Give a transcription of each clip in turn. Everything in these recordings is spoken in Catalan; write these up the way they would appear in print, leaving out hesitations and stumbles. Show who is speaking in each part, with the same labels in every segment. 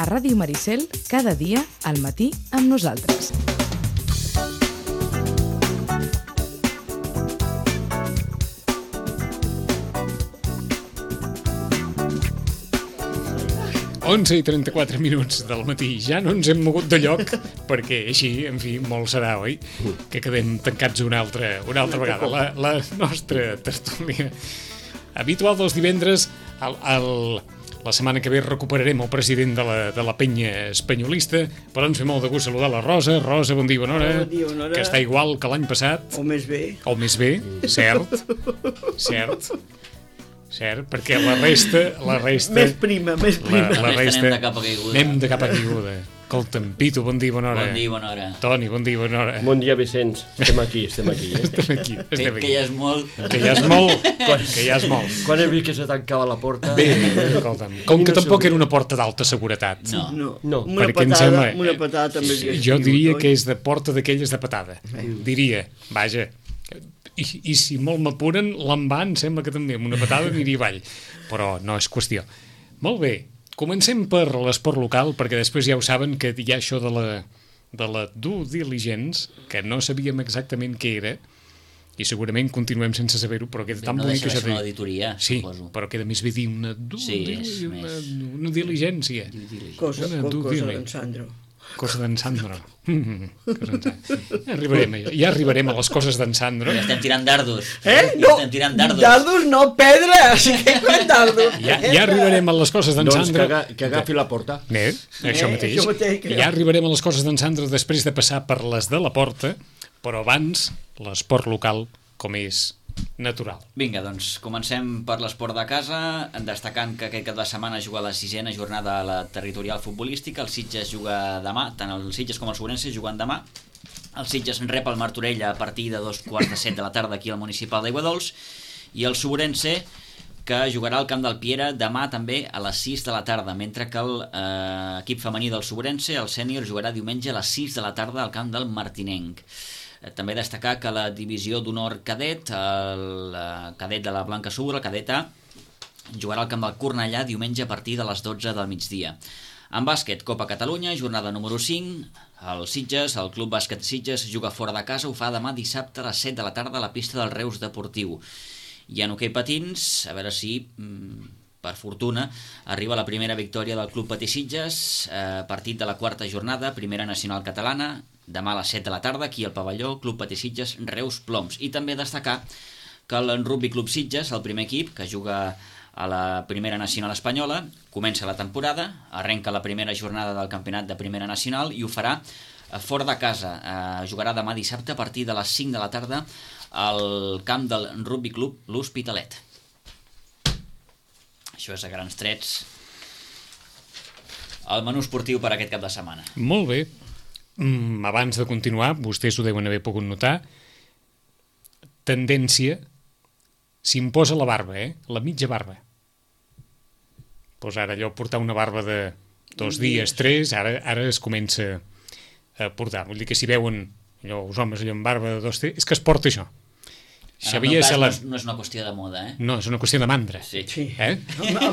Speaker 1: A Ràdio Maricel, cada dia, al matí, amb nosaltres.
Speaker 2: Onze i 34 minuts del matí. Ja no ens hem mogut de lloc, perquè així, en fi, molt serà, oi? Que quedem tancats una altra vegada. La nostra tertúlia habitual dels divendres, la setmana que ve recuperarem el president de la penya espanyolista, però ens fa molt de gust saludar la Rosa. Rosa, bon dia, bona hora.
Speaker 3: Bon dia, bona hora.
Speaker 2: Que està igual que l'any passat.
Speaker 3: O més bé.
Speaker 2: O més bé, cert, perquè la resta...
Speaker 3: Més prima.
Speaker 2: La resta...
Speaker 4: Anem de capa caiguda.
Speaker 2: Anem de capa caiguda. Escolta'm, Pitu, bon dia, bona hora.
Speaker 4: Bon dia, bona hora.
Speaker 2: Toni, bon dia, bona hora.
Speaker 5: Bon dia, Vicenç. Estem aquí.
Speaker 2: Estem aquí.
Speaker 4: Que ja és molt.
Speaker 2: Que ja és molt.
Speaker 5: Quan he vist que se tancava la porta...
Speaker 2: Bé, escolta'm. Com que tampoc era una porta d'alta seguretat.
Speaker 4: No.
Speaker 3: Una patada també.
Speaker 2: Jo diria que és de porta d'aquelles de patada. Diria, vaja... I si molt m'apuren, l'envà em sembla que també amb una patada aniria avall. Però no és qüestió. Molt bé, comencem per l'esport local, perquè després ja ho saben que hi ha això de la due diligence, que no sabíem exactament què era, i segurament continuem sense saber-ho, però queda tan bonic que això...
Speaker 4: No deixa de ser una auditoria,
Speaker 2: sí,
Speaker 4: suposo.
Speaker 2: Però queda més bé dir una diligència.
Speaker 3: Cosa d'en Sandro.
Speaker 2: Cosa d'en Sandro. Ja arribarem a les coses d'en Sandro.
Speaker 4: Ja estem tirant dardos.
Speaker 3: No, dardos no, pedra. Sí que és dardos.
Speaker 2: Ja arribarem a les coses d'en Sandro.
Speaker 5: Doncs que agafi la porta.
Speaker 2: Això mateix. Ja arribarem a les coses d'en Sandro després de passar per les de la porta, però abans l'esport local com és natural.
Speaker 4: Vinga, doncs comencem per l'esport de casa, destacant que aquest cap de setmana juga la 6a jornada a la territorial futbolística. El Sitges juga demà, tant el Sitges com el Sobrense juguen demà. El Sitges rep el Martorell a partir de 2:45 de la tarda aquí al municipal d'Aiguadols, i el Sobrense que jugarà al camp del Piera demà també a les 6 de la tarda, mentre que l'equip femení del Sobrense, el sènior, jugarà diumenge a les 6 de la tarda al camp del Martinenc. També destacar que la divisió d'honor cadet, el cadet de la Blanca Sur, el cadet A, jugarà al camp del Cornellà diumenge a partir de les 12 del migdia. En bàsquet, Copa Catalunya, jornada número 5, el Sitges, el Club Bàsquet Sitges, juga fora de casa, ho fa demà dissabte a les 7 de la tarda a la pista del Reus Deportiu. I en hoquei patins, a veure si... per fortuna, arriba la primera victòria del Club Patí Sitges, partit de la quarta jornada, primera nacional catalana, demà a les 7 de la tarda, aquí al pavelló, Club Patí Sitges, Reus Ploms. I també destacar que el Rugby Club Sitges, el primer equip que juga a la primera nacional espanyola, comença la temporada, arrenca la primera jornada del campionat de primera nacional i ho farà fora de casa. Jugarà demà dissabte a partir de les 5 de la tarda al camp del Rugby Club L'Hospitalet. Això és a grans trets el menú esportiu per aquest cap de setmana.
Speaker 2: Molt bé. Abans de continuar, vostès ho deuen haver pogut notar, tendència, s'imposa la barba, la mitja barba. Doncs ara allò portar una barba de 2 dies, 3, ara es comença a portar. Vull dir que si veuen allò, els homes allò amb barba de 2 dies, és que es porta això.
Speaker 4: En el meu cas no és una qüestió de moda,
Speaker 2: No, és una qüestió de mandra.
Speaker 4: Sí.
Speaker 3: Amb el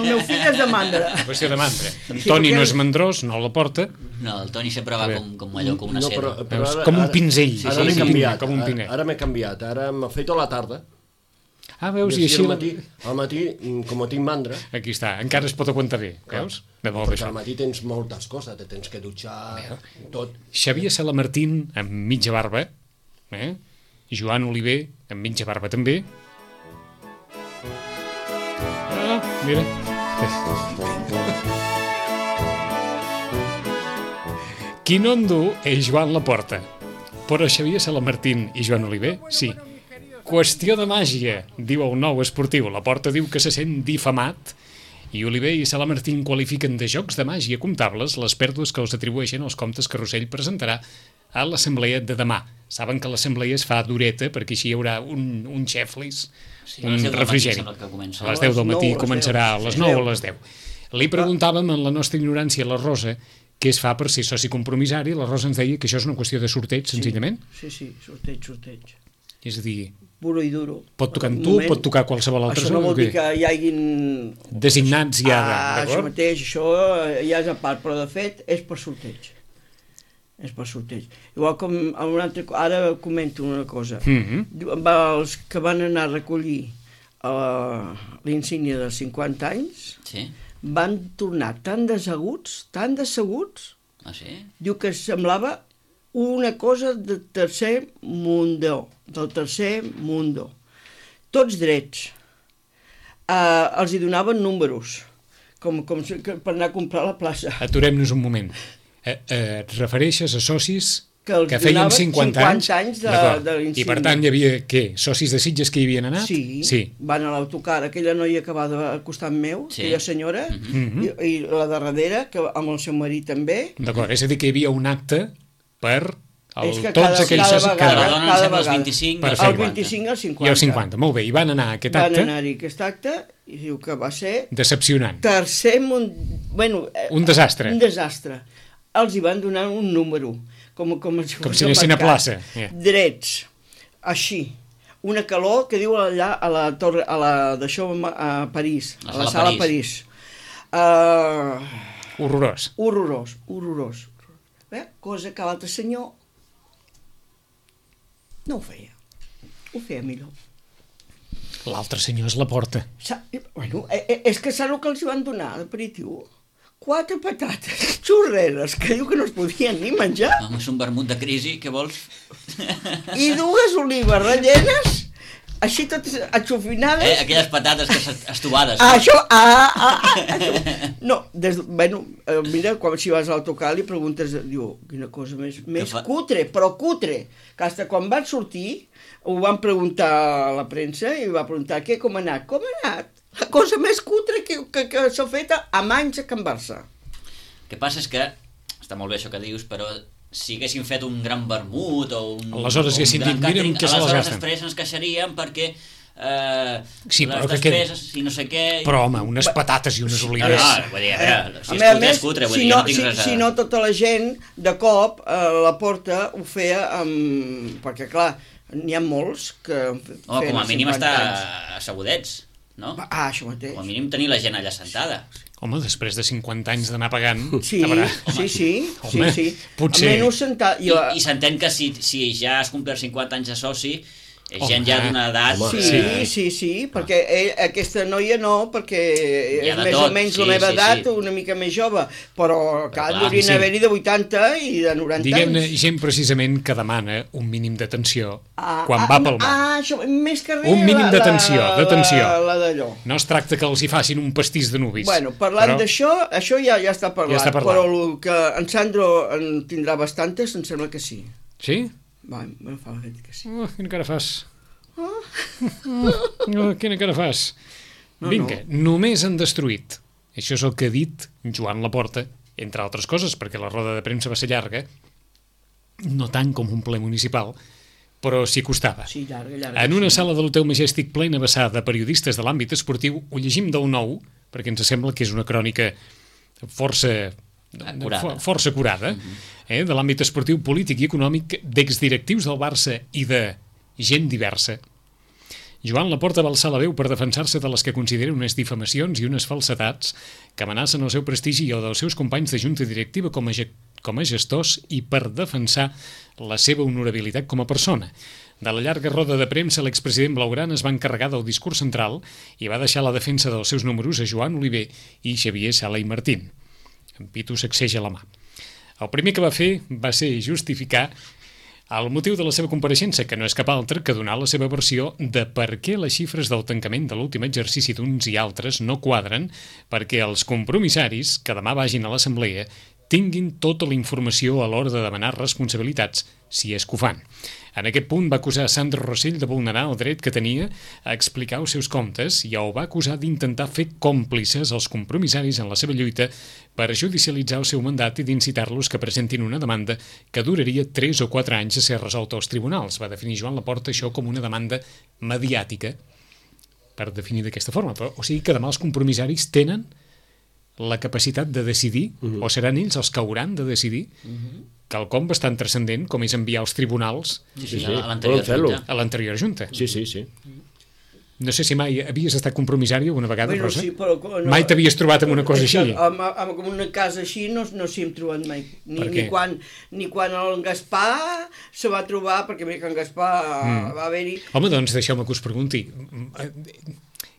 Speaker 3: meu fill és de mandra.
Speaker 2: Una qüestió de mandra. En Toni no és mandrós, no la porta.
Speaker 4: No, el Toni sempre va com allò, com una seda.
Speaker 2: Com un pinzell.
Speaker 5: Ara m'he canviat.
Speaker 2: Com un pinell.
Speaker 5: Ara m'he canviat. Ara m'afeito a la tarda.
Speaker 2: Veus, i així...
Speaker 5: Al matí, com tinc mandra...
Speaker 2: Aquí està, encara es pot aguantar bé, veus?
Speaker 5: Perquè al matí tens moltes coses, te tens que dutxar, tot.
Speaker 2: Xavier Salamartín, amb mitja barba, Joan Oliver, amb mitja barba també. Mira. Qui no en du és Joan Laporta, però Xavier Salamartín i Joan Oliver, sí. Qüestió de màgia, diu el Nou Esportiu. Laporta diu que se sent difamat i Oliver i Salamartín qualifiquen de jocs de màgia comptables les pèrdues que els atribueixen els comptes que Rossell presentarà a l'assemblea de demà. Saben que l'assemblea es fa dureta perquè així hi haurà un xeflis, un refrigeri. A les 10 del matí començarà a les 9 o a les 10. Li preguntàvem en la nostra ignorància a la Rosa què es fa per ser soci compromissari. La Rosa ens deia que això és una qüestió de sorteig, senzillament.
Speaker 3: Sí, sorteig.
Speaker 2: És a dir,
Speaker 3: puro i duro.
Speaker 2: Pot tocar amb tu, pot tocar qualsevol altre.
Speaker 3: Això no vol dir que hi hagin...
Speaker 2: designats ja,
Speaker 3: d'acord? Això mateix, això ja és a part, però de fet és per sorteig. És per sorteig. Igual com ara comento una cosa. Els que van anar a recollir l'insígnia dels 50 anys van tornar tan decebuts,
Speaker 4: Ah, sí?
Speaker 3: diu que semblava una cosa del tercer mundo. Tots drets. Els hi donaven números, com per anar a comprar a la plaça.
Speaker 2: Aturem-nos un moment. Et refereixes a socis
Speaker 3: que
Speaker 2: feien 50 anys
Speaker 3: de l'insígnia.
Speaker 2: I per tant hi havia, què? Socis de Sitges que hi havien anat?
Speaker 3: Sí. Van a l'autocar, aquella noia que va al costat meu, aquella senyora, i la de darrere, que amb el seu marit també.
Speaker 2: D'acord, és a dir que hi havia un acte per
Speaker 3: tots aquells socis
Speaker 4: cada vegada. El 25
Speaker 3: al 50.
Speaker 2: I el 50, molt bé. I van anar a aquest acte.
Speaker 3: Van anar-hi a aquest acte i diu que va ser...
Speaker 2: decepcionant.
Speaker 3: Un
Speaker 2: desastre.
Speaker 3: Un desastre. Els hi van donar un número, com
Speaker 2: si anessin a plaça.
Speaker 3: Drets, així. Una calor que diu allà a la torre, d'això a París, a la sala París.
Speaker 2: Horrorós.
Speaker 3: Cosa que l'altre senyor no ho feia. Ho feia millor.
Speaker 2: L'altre senyor és la porta.
Speaker 3: Bueno, és que saps el que els van donar d'aperitiu? 4 patates xurreres, que diu que no es podien ni menjar.
Speaker 4: Home, és un vermut de crisi, què vols?
Speaker 3: I 2 olives rellenes, així totes atxofinades.
Speaker 4: Aquelles patates que estovades.
Speaker 3: Això. No, mira, quan si vas a l'autocar li preguntes, diu, quina cosa més cutre, però cutre, que fins quan van sortir ho van preguntar a la premsa i va preguntar, com ha anat? Com ha anat? La cosa més cutre que s'ha fet a anys a Can Barça.
Speaker 4: El que passa és que, està molt bé això que dius, però si haguessin fet un gran vermut o un...
Speaker 2: Aleshores haguessin dit, mira'm què se les gasten.
Speaker 4: Aleshores després ens queixaríem perquè
Speaker 2: les
Speaker 4: despeses i no sé què...
Speaker 2: Però home, unes patates i unes olives...
Speaker 4: Vull dir, si és cutre, vull dir, no tinc res a...
Speaker 3: Si no, tota la gent, de cop, la porta ho feia amb... Perquè, clar, n'hi ha molts que...
Speaker 4: Home, com a mínim està assegudets. No?
Speaker 3: Això mateix.
Speaker 4: Com a mínim tenir la gent allà sentada.
Speaker 2: Home, després de 50 anys d'anar pagant...
Speaker 3: Sí.
Speaker 2: Potser...
Speaker 4: I s'entén que si ja has complert 50 anys de soci, és gent ja d'una edat...
Speaker 3: Sí, perquè aquesta noia no, perquè és més o menys la meva edat, una mica més jove, però haurien d'haver-hi de 80 i de 90 anys.
Speaker 2: Diguem-ne, gent precisament que demana un mínim d'atenció quan va pel mar.
Speaker 3: Això, més que res...
Speaker 2: Un mínim d'atenció.
Speaker 3: La d'allò.
Speaker 2: No es tracta que els hi facin un pastís de nuvis.
Speaker 3: Bueno, parlant d'això, això ja està parlat, però el que en Sandro en tindrà bastantes, em sembla que sí.
Speaker 2: Sí?
Speaker 3: Va, me fa la que sí.
Speaker 2: Quina cara fas? Quina cara fas? Vinga, només han destruït. Això és el que ha dit Joan Laporta, entre altres coses, perquè la roda de premsa va ser llarga, no tant com un ple municipal, però s'hi costava.
Speaker 3: Sí, llarga.
Speaker 2: En una sala de l'Hotel Majestic plena vessada de periodistes de l'àmbit esportiu, ho llegim del nou, perquè ens sembla que és una crònica força curada, de l'àmbit esportiu, polític i econòmic d'exdirectius del Barça i de gent diversa. Joan Laporta va alçar la veu per defensar-se de les que considera unes difamacions i unes falsetats que amenacen el seu prestigi i el dels seus companys de junta directiva com a gestors i per defensar la seva honorabilitat com a persona. De la llarga roda de premsa, l'expresident blaugrana es va encarregar del discurs central i va deixar la defensa dels seus números a Joan Oliver i Xavier Sala i Martín. En Pitu sacseja la mà. El primer que va fer va ser justificar el motiu de la seva compareixença, que no és cap altre que donar la seva versió de per què les xifres del tancament de l'últim exercici d'uns i altres no quadren perquè els compromissaris que demà vagin a l'assemblea tinguin tota la informació a l'hora de demanar responsabilitats, si és que ho fan. En aquest punt va acusar Sandro Rossell de vulnerar el dret que tenia a explicar els seus comptes i el va acusar d'intentar fer còmplices als compromissaris en la seva lluita per judicialitzar el seu mandat i d'incitar-los que presentin una demanda que duraria 3 o 4 anys a ser resolta als tribunals. Va definir Joan Laporta això com una demanda mediàtica, per definir d'aquesta forma. O sigui que demà els compromissaris tenen la capacitat de decidir, o seran ells els que hauran de decidir quelcom bastant transcendent, com és enviar als tribunals
Speaker 4: Sí,
Speaker 5: Sí,
Speaker 4: a l'anterior
Speaker 5: poden fer-lo.
Speaker 4: junta.
Speaker 2: a l'anterior junta.
Speaker 5: Sí.
Speaker 2: No sé si mai havies estat compromissari alguna vegada,
Speaker 3: Bueno,
Speaker 2: Rosa?
Speaker 3: sí, però
Speaker 2: Mai t'havies trobat amb una cosa així?
Speaker 3: Amb una casa així no s'hi hem trobat mai.
Speaker 2: Per què?
Speaker 3: Ni quan el Gaspar se va trobar, perquè mira que en Gaspar va haver-hi...
Speaker 2: Home, doncs deixeu-me que us pregunti.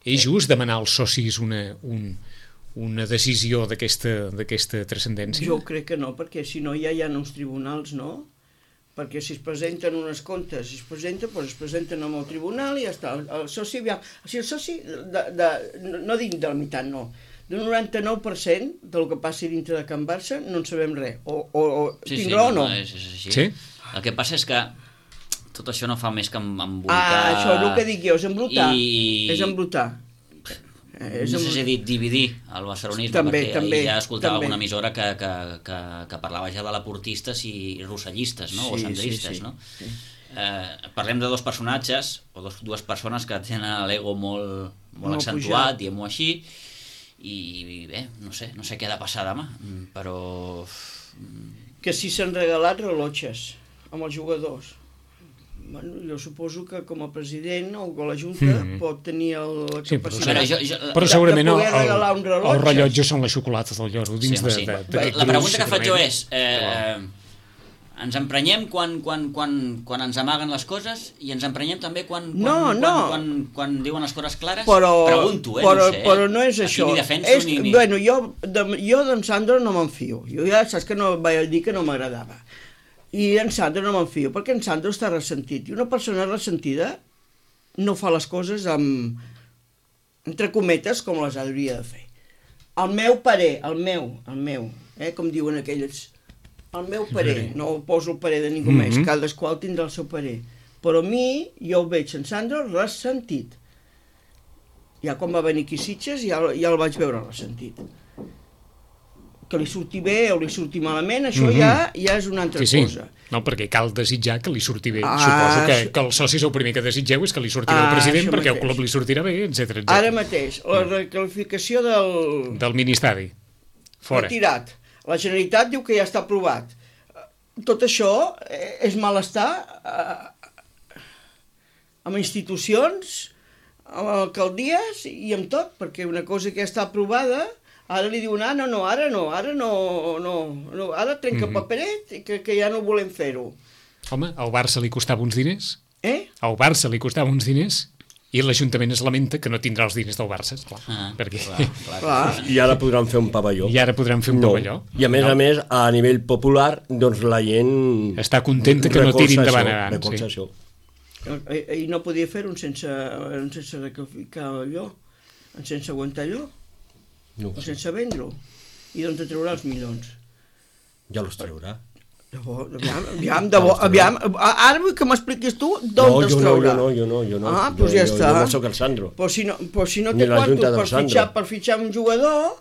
Speaker 2: És just demanar als socis una decisió d'aquesta transcendència?
Speaker 3: Jo crec que no, perquè si no ja hi ha uns tribunals, no? Perquè si es presenten unes comptes, si es presenten amb el tribunal i ja està. El soci, aviam, o sigui, el soci, no dic de la meitat, no, d'un 99% del que passi dintre de Can Barça no en sabem res. Tinc raó o no?
Speaker 4: És així.
Speaker 2: Sí?
Speaker 4: El que passa és que tot això no fa més que embolicar...
Speaker 3: Això és el que dic jo, és embrutar.
Speaker 4: I-
Speaker 3: És embrutar.
Speaker 4: No sé si he dit dividir el barcelonisme,
Speaker 3: També,
Speaker 4: perquè
Speaker 3: també,
Speaker 4: ja escoltava
Speaker 3: també.
Speaker 4: alguna emissora que parlava ja de laportistes i rossellistes, no? O
Speaker 3: Sí,
Speaker 4: sandristes,
Speaker 3: sí,
Speaker 4: no?
Speaker 3: sí.
Speaker 4: Parlem de dos personatges, o dues persones que tenen l'ego molt
Speaker 3: Molt
Speaker 4: accentuat,
Speaker 3: pujat.
Speaker 4: diguem-ho així, i bé, no sé què ha de passar demà, però...
Speaker 3: Que si s'han regalat rellotges amb els jugadors. Bueno, jo suposo que com a president o la Junta pot tenir la
Speaker 2: Sí, però,
Speaker 3: capacitat...
Speaker 2: però segurament
Speaker 3: de poder regalar un rellotge.
Speaker 2: els rellotges són les xocolates del lloro dins
Speaker 4: Sí. La pregunta que faig jo és... ens emprenyem quan ens amaguen les coses i ens emprenyem també quan diuen les coses clares? Pregunto, no sé.
Speaker 3: Però no és això.
Speaker 4: Ni defenso ni...
Speaker 3: Bueno, jo d'en Sandro no m'enfio. Jo ja saps que no vaig dir que no m'agradava. I en Sandro no m'enfio, perquè en Sandro està ressentit. I una persona ressentida no fa les coses amb, entre cometes, com les hauria de fer. El meu parer, com diuen aquelles, el meu parer, no poso el parer de ningú més, cadascú tindrà el seu parer. Però a mi, jo el veig en Sandro ressentit. Ja quan va venir aquí a Sitges ja el vaig veure ressentit. Que li surti bé o li surti malament, això ja és una altra cosa.
Speaker 2: No, perquè cal desitjar que li surti bé. Suposo que els socis el primer que desitgeu és que li surti bé el president, perquè el club li sortirà bé, etc.
Speaker 3: Ara mateix, la recalificació
Speaker 2: del ministeri. Fora.
Speaker 3: Retirat. La Generalitat diu que ja està aprovat. Tot això és malestar amb institucions, amb alcaldies i amb tot, perquè una cosa que ja està aprovada... Ara li diuen, ara trenca paperet, que ja no volem fer-ho.
Speaker 2: Home, al Barça li costava uns diners?
Speaker 3: Al
Speaker 2: Barça li costava uns diners i l'Ajuntament es lamenta que no tindrà els diners del Barça, esclar.
Speaker 3: Clar.
Speaker 5: I ara podran fer un pavelló.
Speaker 2: pavelló.
Speaker 5: I a més, a nivell popular, doncs la gent...
Speaker 2: Està contenta que no tiri endavant abans.
Speaker 5: Recolza això.
Speaker 3: I no podia fer-ho sense recalificar allò, sense aguantar allò.
Speaker 5: No.
Speaker 3: O sense vendre-ho. I d'on te traurà els milions?
Speaker 5: Ja els traurà.
Speaker 3: Aviam, ara vull que m'expliquis tu d'on te'ls traurà.
Speaker 5: Jo no.
Speaker 3: Doncs ja està.
Speaker 5: Jo no soc el Sandro.
Speaker 3: Però si no té quartos per fitxar un jugador,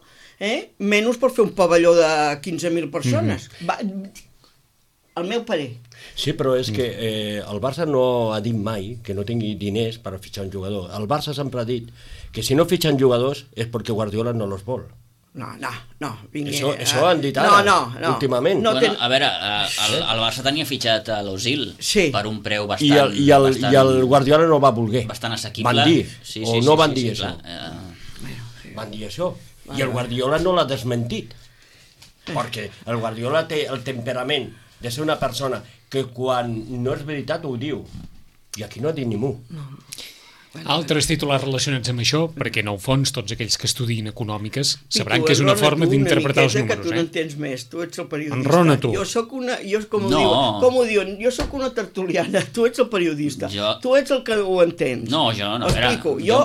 Speaker 3: menys per fer un pavelló de 15.000 persones. El meu parer.
Speaker 5: Sí, però és que el Barça no ha dit mai que no tingui diners per fitxar un jugador. El Barça sempre ha dit que si no fitxen jugadors és perquè Guardiola no los vol.
Speaker 3: No, vinga.
Speaker 5: Això han dit ara, últimament.
Speaker 4: A veure, el Barça tenia fitxat a l'Ozil per un preu bastant...
Speaker 5: I el Guardiola no va voler.
Speaker 4: Bastant assequible.
Speaker 5: Van dir, o no van dir això. Van dir això. I el Guardiola no l'ha desmentit. Perquè el Guardiola té el temperament de ser una persona que quan no és veritat ho diu. I aquí no ha dit ningú.
Speaker 2: Altres titulars relacionats amb això, perquè en el fons tots aquells que estudien econòmiques sabran que és una forma d'interpretar els números.
Speaker 3: Que tu n'entens més, tu ets el periodista.
Speaker 2: Enrona tu.
Speaker 3: Jo soc una, com ho diuen, jo soc una tertuliana, tu ets el periodista, tu ets el que ho entens.
Speaker 4: No, jo no.
Speaker 3: Explico, jo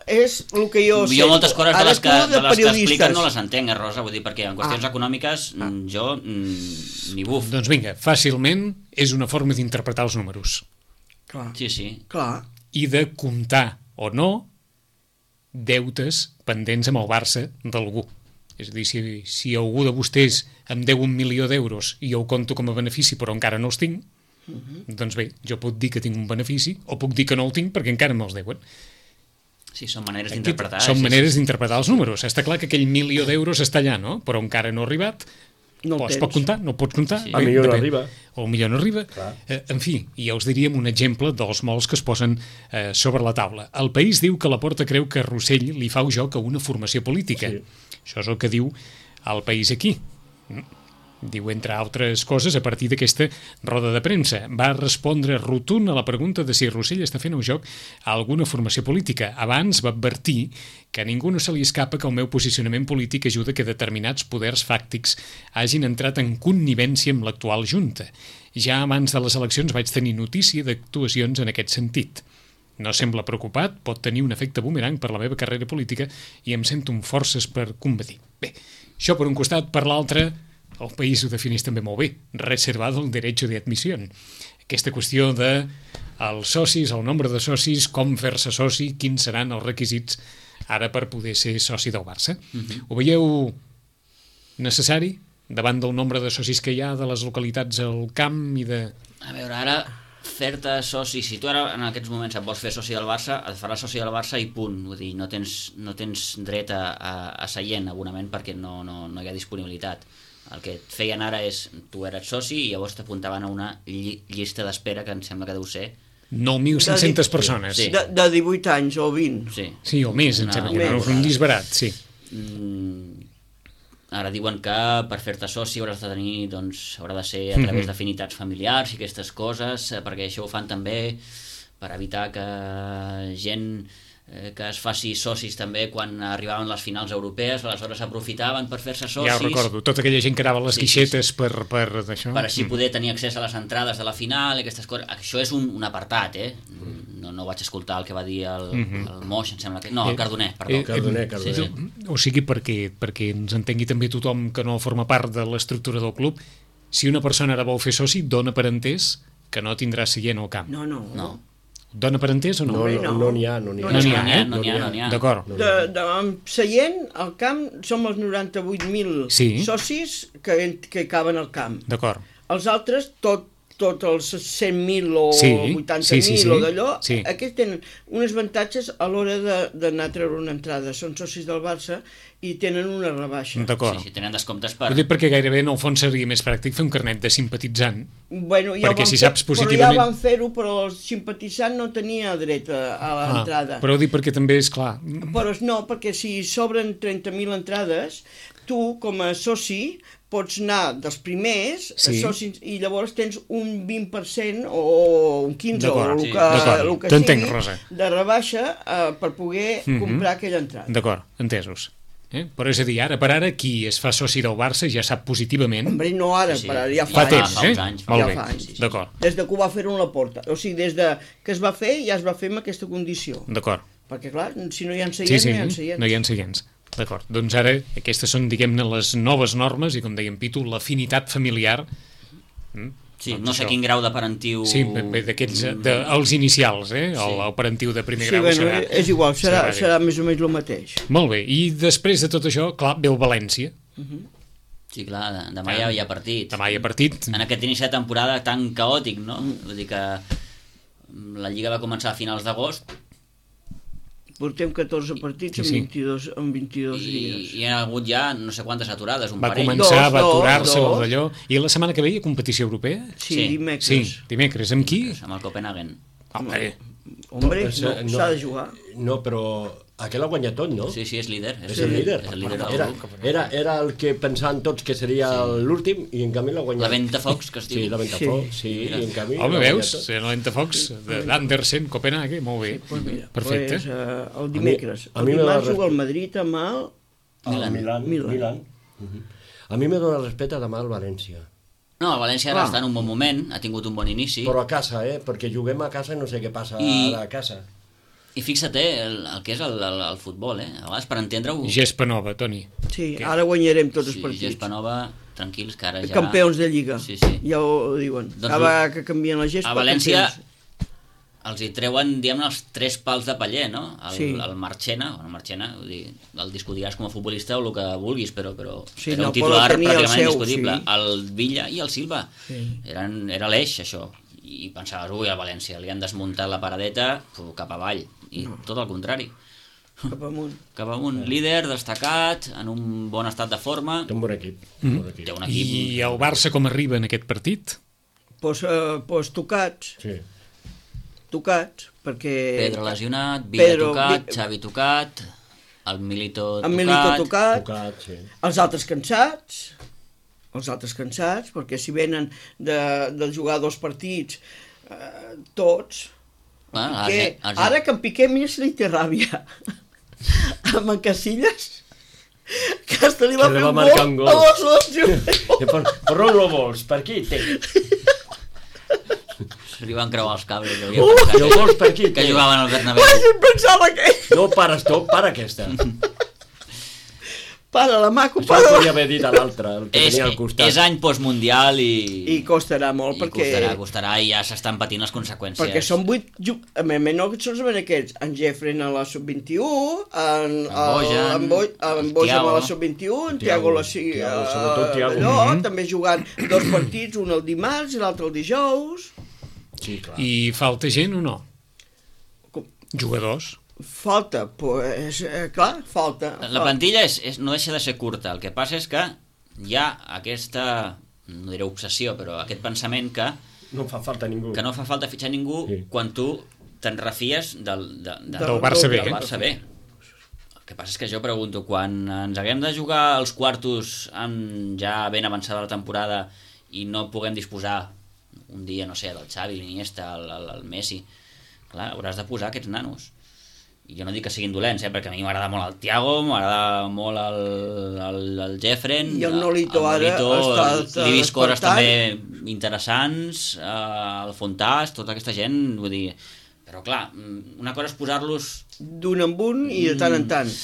Speaker 3: és el que jo sé.
Speaker 4: Jo moltes coses de les que expliquen no les entenc, Rosa, vull dir, perquè en qüestions econòmiques jo ni buf.
Speaker 2: Doncs vinga, fàcilment és una forma d'interpretar els números.
Speaker 3: Clar.
Speaker 4: Sí.
Speaker 3: Clar.
Speaker 2: I de comptar o no deutes pendents amb el Barça d'algú. És a dir, si algú de vostès em deu 1 milió d'euros i jo ho compto com a benefici però encara no els tinc, doncs bé, jo puc dir que tinc un benefici o puc dir que no el tinc perquè encara me'ls deuen.
Speaker 4: Sí, són maneres d'interpretar.
Speaker 2: Són maneres d'interpretar els números. Està clar que aquell 1 milió d'euros està allà, no? Però encara no ha arribat.
Speaker 3: No
Speaker 2: es pot comptar, no pots comptar.
Speaker 5: Sí. A millor no arriba.
Speaker 2: O millor no arriba. En fi, ja us diríem un exemple dels molts que es posen sobre la taula. El País diu que Laporta creu que Rossell li fa joc a una formació política. Sí. Això és el que diu el País aquí. Diu, entre altres coses, a partir d'aquesta roda de premsa. Va respondre rotund a la pregunta de si Rossell està fent un joc a alguna formació política. Abans va advertir que a ningú no se li escapa que el meu posicionament polític ajuda que determinats poders fàctics hagin entrat en connivència amb l'actual Junta. Ja abans de les eleccions vaig tenir notícia d'actuacions en aquest sentit. No sembla preocupat, pot tenir un efecte boomerang per la meva carrera política i em sento amb forces per combatir. Bé, això per un costat, per l'altre, el País ho defineix també molt bé, reservado el derecho de admisión. Aquesta qüestió de els socis, el nombre de socis, com fer-se soci, quins seran els requisits ara per poder ser soci del Barça. Ho veieu necessari davant del nombre de socis que hi ha de les localitats al camp i de...
Speaker 4: A veure, ara fer-te soci, si tu ara en aquests moments et vols fer soci del Barça, et faràs soci del Barça i punt, vull dir, no tens dret a seient abonament perquè no hi ha disponibilitat. El que et feien ara és, tu eres soci i llavors t'apuntaven a una llista d'espera que em sembla que deu ser
Speaker 2: 9.500 persones.
Speaker 3: Sí. De 18 anys o 20.
Speaker 2: Sí, o més, em sembla que no és un disbarat, sí.
Speaker 4: Ara diuen que per fer-te soci hauràs de tenir, doncs, haurà de ser a través d'afinitats familiars i aquestes coses, perquè això ho fan també per evitar que gent que es faci socis també quan arribaven les finals europees, aleshores aprofitaven per fer-se socis.
Speaker 2: Ja ho recordo, tota aquella gent que anava a les guixetes per d'això.
Speaker 4: Per així poder tenir accés a les entrades de la final i aquestes coses. Això és un apartat, no vaig escoltar el que va dir el Moix, em sembla que... No, el Cardoner, perdó.
Speaker 5: Cardoner.
Speaker 4: Sí.
Speaker 2: O sigui, perquè ens entengui també tothom que no forma part de l'estructura del club, si una persona ara vol fer soci, dona per entès que no tindrà seient al camp.
Speaker 3: No.
Speaker 2: Dona per entès o no?
Speaker 5: No n'hi ha.
Speaker 4: No n'hi ha.
Speaker 2: D'acord.
Speaker 3: Seient, al camp, som els 98.000 socis que caben al camp.
Speaker 2: D'acord.
Speaker 3: Els altres, tots els 100.000 o 80.000 o d'allò, aquests tenen uns avantatges a l'hora d'anar a treure una entrada. Són socis del Barça i tenen una rebaixa.
Speaker 2: D'acord.
Speaker 4: Sí, tenen descomptes per...
Speaker 2: Ho dic perquè gairebé en el fons seria més pràctic fer un carnet de simpatitzant.
Speaker 3: Bueno, ja
Speaker 2: perquè si saps positivament...
Speaker 3: Però ja van fer-ho, però el simpatitzant no tenia dret a l'entrada.
Speaker 2: Però ho dic perquè també és clar...
Speaker 3: Però no, perquè si s'obren 30.000 entrades, tu, com a soci, pots anar dels primers socis i llavors tens un 20% o un 15% o el que sigui de rebaixa per poder comprar aquella entrada.
Speaker 2: D'acord, entesos. Però és a dir, ara per ara, qui es fa soci del Barça ja sap positivament...
Speaker 3: Hombre, no ara, per ara, ja
Speaker 2: fa temps,
Speaker 3: Molt bé, d'acord. Des de que ho va fer a la Porta. O sigui, des de que es va fer, ja es va fer amb aquesta condició.
Speaker 2: D'acord.
Speaker 3: Perquè, clar, si no hi ha seients, no hi ha seients.
Speaker 2: No hi ha seients. D'acord, doncs ara aquestes són, diguem-ne, les noves normes i, com deia en Pitu, l'afinitat familiar.
Speaker 4: Sí, doncs no sé quin grau de parentiu...
Speaker 2: Sí, d'aquests, els inicials, el parentiu de primer grau serà...
Speaker 3: És igual, serà més o menys el mateix.
Speaker 2: Molt bé, i després de tot això, clar, ve el València.
Speaker 4: Sí, clar, demà hi ha partit.
Speaker 2: Demà hi ha partit.
Speaker 4: En aquest inici de temporada tan caòtic, no? Vull dir que la Lliga va començar a finals d'agost.
Speaker 3: Portem 14 partits en 22 dies.
Speaker 4: I hi ha hagut ja no sé quantes aturades, un
Speaker 2: parell.
Speaker 4: Va
Speaker 2: començar a aturar-se d'allò. I la setmana que ve hi ha competició europea?
Speaker 3: Sí, dimecres.
Speaker 2: Sí, dimecres. Amb qui?
Speaker 4: Amb el Copenhagen.
Speaker 3: Hombre, s'ha de jugar.
Speaker 5: No, però aquell ha guanyat tot, no?
Speaker 4: Sí, és líder.
Speaker 5: És el líder. Era el que pensaven tots que seria l'últim i en canvi l'ha guanyat.
Speaker 4: La Ventafocs, que es diu.
Speaker 5: Sí, la Ventafocs, sí, i en canvi...
Speaker 2: Home, veus? La Ventafocs d'Andersen, Copenhague, molt bé. Perfecte.
Speaker 3: El dimecres. El dimarts juga el Madrid amb el
Speaker 5: Milan. A mi me dóna respecte demà el València.
Speaker 4: No, el València ara està en un bon moment, ha tingut un bon inici.
Speaker 5: Però a casa, perquè juguem a casa i no sé què passa ara a casa.
Speaker 4: I fixa't el que és el futbol, a vegades per entendre-ho...
Speaker 2: Gespa nova, Toni.
Speaker 3: Sí, ara guanyarem tots els partits.
Speaker 4: Gespa nova, tranquils, que ara ja...
Speaker 3: Campions de Lliga, ja ho diuen. Cada que canvien la gespa...
Speaker 4: A València els hi treuen, diguem-ne, els 3 pals de paller, no? El Marchena, vull dir, el discutiràs com a futbolista o el que vulguis, però era un titular pràcticament indiscutible. El Villa i el Silva. Era l'eix, això. I pensaves, el València, li han desmuntat la paradeta cap avall. I tot el contrari.
Speaker 3: Cap amunt.
Speaker 4: Líder, destacat, en un bon estat de forma.
Speaker 5: Té un bon equip.
Speaker 4: Té un equip.
Speaker 2: I el Barça com arriba en aquest partit?
Speaker 3: Pues tocats.
Speaker 5: Sí.
Speaker 3: Tocats, perquè...
Speaker 4: Pedro lesionat, Villa tocat, Xavi tocat, el Milito
Speaker 3: tocat.
Speaker 5: Tocat, sí.
Speaker 3: Els altres cansats, perquè si venen de jugar 2 partits, tots... Ara que en Piqué, mira si li té ràbia. Amb en Casillas, que hasta li va fer un gol a la selecció.
Speaker 5: Per on lo vols? Per aquí té.
Speaker 4: Li van creuar els cables.
Speaker 5: Jo vols per aquí?
Speaker 4: Que jugaven al Bernabéu.
Speaker 3: Ai, em pensava que...
Speaker 5: No pares tu, para aquesta.
Speaker 3: Para la maco,
Speaker 5: Això ho podia haver dit a l'altre, el que tenia al costat.
Speaker 4: És any postmundial
Speaker 3: i costarà molt, perquè...
Speaker 4: Costarà i ja s'estan patint les conseqüències.
Speaker 3: Perquè són 8... No solament aquests, en Jeffrey a la sub-21, en Bojan a la sub-21, en Thiago
Speaker 5: sobretot Thiago.
Speaker 3: També jugant 2 partits, un el dimarts i l'altre el dijous.
Speaker 5: Sí, clar.
Speaker 2: I falta gent o no? Jugadors?
Speaker 3: Falta, pues, clar, falta.
Speaker 4: La plantilla no deixa de ser curta. El que passa és que hi ha aquesta, no diré obsessió, però aquest pensament que
Speaker 5: no fa falta ningú.
Speaker 4: Que no fa falta fitxar ningú quan tu te'n refies del
Speaker 2: Barça B.
Speaker 4: Del Barça B. El que passa és que jo pregunto, quan ens haguem de jugar els quartos ja ben avançada la temporada i no puguem disposar un dia, no sé, del Xavi, l'Iniesta, el Messi, clar, hauràs de posar aquests nanos. I jo no dic que siguin dolents, perquè a mi m'agrada molt el Thiago, m'agrada molt el Jeffren,
Speaker 3: i el Nolito ara
Speaker 4: li he vist coses també interessants, el Fontàs, tota aquesta gent, vull dir, però clar, una cosa és posar-los
Speaker 3: d'un en un i de tant en tant.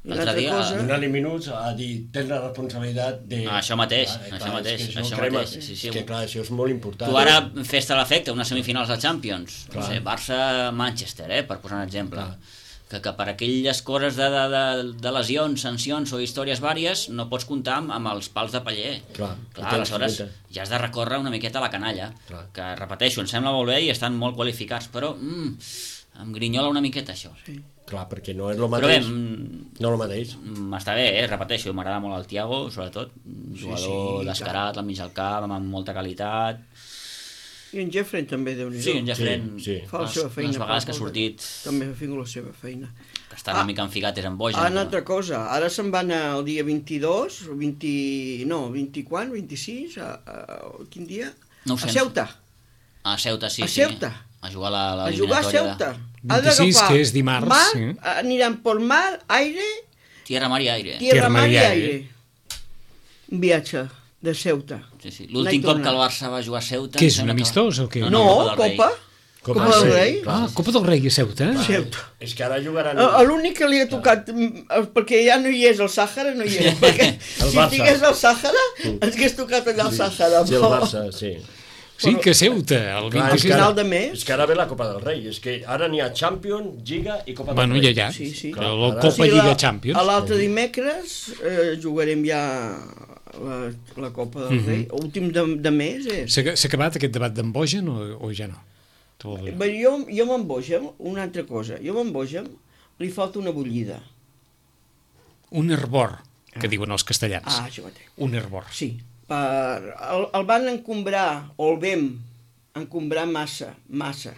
Speaker 4: L'altre dia...
Speaker 5: Donar-li minuts a dir, tens la responsabilitat de...
Speaker 4: Això mateix.
Speaker 5: Sí. Que clar, això és molt important.
Speaker 4: Tu ara fes-te l'efecte, unes semifinals de Champions, no sé, Barça-Manchester, per posar un exemple, que per aquelles coses de lesions, sancions o històries vàries no pots comptar amb els pals de paller. Clar, aleshores ja has de recórrer una miqueta a la canalla, que repeteixo, em sembla molt bé i estan molt qualificats, però em grinyola una miqueta això.
Speaker 5: Clar, perquè no és el mateix. No el mateix.
Speaker 4: Està bé, repeteixo, m'agrada molt el Thiago, sobretot. Jugador descarat, al mig del camp, amb molta qualitat.
Speaker 3: I en Jeffrey també, Déu-n'hi-do.
Speaker 4: Sí, en Jeffrey
Speaker 3: fa la seva feina.
Speaker 4: Les vegades que ha sortit...
Speaker 3: També ha fet la seva feina.
Speaker 4: Que està una mica enficat és en Bojan.
Speaker 3: Una altra cosa, ara se'n va anar el dia 22, 20 quan? 26? Quin dia?
Speaker 4: No ho sé.
Speaker 3: A Ceuta.
Speaker 4: A Ceuta, sí.
Speaker 3: A Ceuta.
Speaker 4: A jugar a
Speaker 3: a Ceuta.
Speaker 2: 26, que és dimarts.
Speaker 3: Aniran pel mar, aire...
Speaker 4: Tierra, mar i aire.
Speaker 3: Tierra, mar i aire. Un viatge de Ceuta.
Speaker 4: Sí. L'últim cop que el Barça va jugar a Ceuta...
Speaker 2: Què és, un amistós o què?
Speaker 3: No, Copa. Copa del Rei.
Speaker 2: Copa del Rei a Ceuta.
Speaker 3: Ceuta.
Speaker 5: És que ara jugaran...
Speaker 3: L'únic que li ha tocat, perquè ja no hi és el Sàhara, no hi és, perquè si estigués al Sàhara, ens hagués tocat allà al Sàhara.
Speaker 5: Sí, el Barça, sí.
Speaker 2: Sí, que Ceuta, el 26
Speaker 3: final de mes.
Speaker 5: És que ara ve la Copa del Rei, és que ara n'hi ha Champions, Lliga i Copa del Rei.
Speaker 2: Bueno, ja.
Speaker 3: Sí.
Speaker 2: La Copa Lliga Champions.
Speaker 3: L'altre dimecres jugarem ja la Copa del Rei. Últim de mes és...
Speaker 2: S'ha acabat aquest debat d'en Bojan o ja no?
Speaker 3: Jo amb Bojan, una altra cosa, jo amb Bojan li falta una bullida.
Speaker 2: Un hervor, que diuen els castellans.
Speaker 3: Això mateix.
Speaker 2: Un hervor.
Speaker 3: Sí. El van encombrar, o el vam encombrar massa.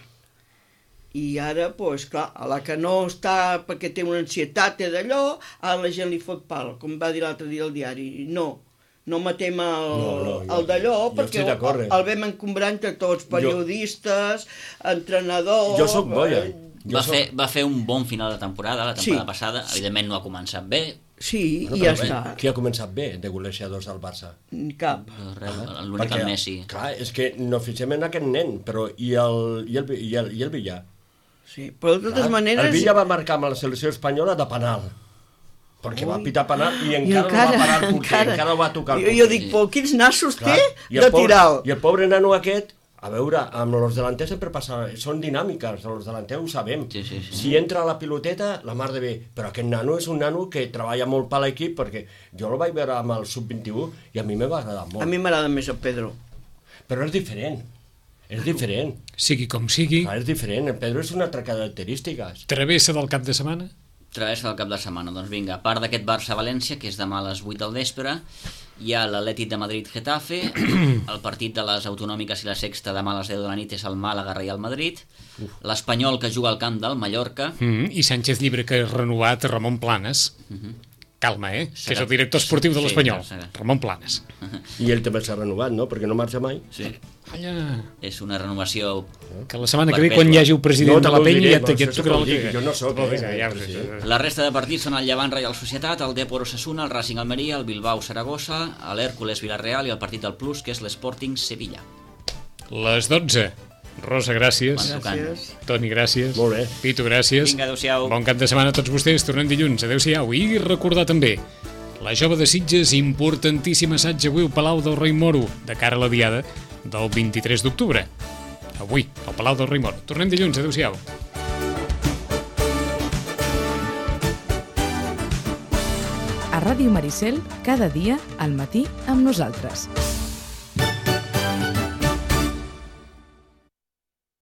Speaker 3: I ara, doncs, clar, a la que no està perquè té una ansietat, té d'allò, ara la gent li fot pal, com va dir l'altre dia al diari. No matem el d'allò, perquè el vam encombrar entre tots, periodistes, entrenadors...
Speaker 5: Jo soc boia.
Speaker 4: Va fer un bon final de temporada, la temporada passada, evidentment no ha començat bé.
Speaker 3: Sí, i ja està.
Speaker 5: Qui ha començat bé de golejadors al Barça?
Speaker 3: Cap.
Speaker 4: L'únic el Messi.
Speaker 5: Clar, és que no fixem en aquest nen, però i el Villa?
Speaker 3: Sí, però de totes maneres...
Speaker 5: El Villa va marcar amb la selecció espanyola de penal, perquè va pitar penal i encara no va parar el porter, encara no va tocar el porter. Jo
Speaker 3: dic, quins nassos té de tirar-lo.
Speaker 5: I el pobre nano aquest... A veure, amb els delanters sempre passa... Són dinàmiques, els delanters ho sabem.
Speaker 4: Sí.
Speaker 5: Si entra la piloteta, la mar de bé. Però aquest nano és un nano que treballa molt per l'equip, perquè jo el vaig veure amb el sub-21 i a mi m'ha agradat molt.
Speaker 3: A mi m'agrada més el Pedro.
Speaker 5: Però és diferent.
Speaker 2: Sigui com sigui.
Speaker 5: És diferent. El Pedro és una altra característica.
Speaker 2: Travessa del cap de setmana?
Speaker 4: Travessa del cap de setmana. Doncs vinga, a part d'aquest Barça-València, que és demà a les 8 del vespre, hi ha l'Atlètic de Madrid-Getafe, el partit de les autonòmiques i la sexta demà a les 10 de la nit és el Màlaga-Real Madrid, l'Espanyol que juga al camp del Mallorca...
Speaker 2: I Sánchez Llibre, que ha renovat Ramon Planes. Calma, que és el director esportiu de l'Espanyol. Ramon Planes.
Speaker 5: I ell també s'ha renovat, no? Perquè no marxa mai.
Speaker 4: Sí.
Speaker 2: Allà.
Speaker 4: És una renovació...
Speaker 2: Que la setmana que ve, quan hi hagi el president de la penya, ja et tocarà la que...
Speaker 5: Jo no soc,
Speaker 4: La resta de partits són el Llevant Reial Societat, el Depor Osasuna, el Racing Almeria, el Bilbao Saragossa, l'Hèrcules Villarreal i el partit del Plus, que és l'Sporting Sevilla.
Speaker 2: Les 12. Rosa, gràcies.
Speaker 3: Gràcies.
Speaker 2: Toni, gràcies.
Speaker 5: Molt bé.
Speaker 2: Pitu, gràcies.
Speaker 4: Vinga, adéu-siau.
Speaker 2: Bon cap de setmana a tots vostès. Tornem dilluns. Adéu-siau. I recordar també, la jove de Sitges, importantíssim assaig avui al Palau del Rei Moro, de cara a la diada del 23 d'octubre. Avui, al Palau del Rei Moro. Tornem dilluns. Adéu-siau.
Speaker 1: A Ràdio Maricel, cada dia, al matí, amb nosaltres.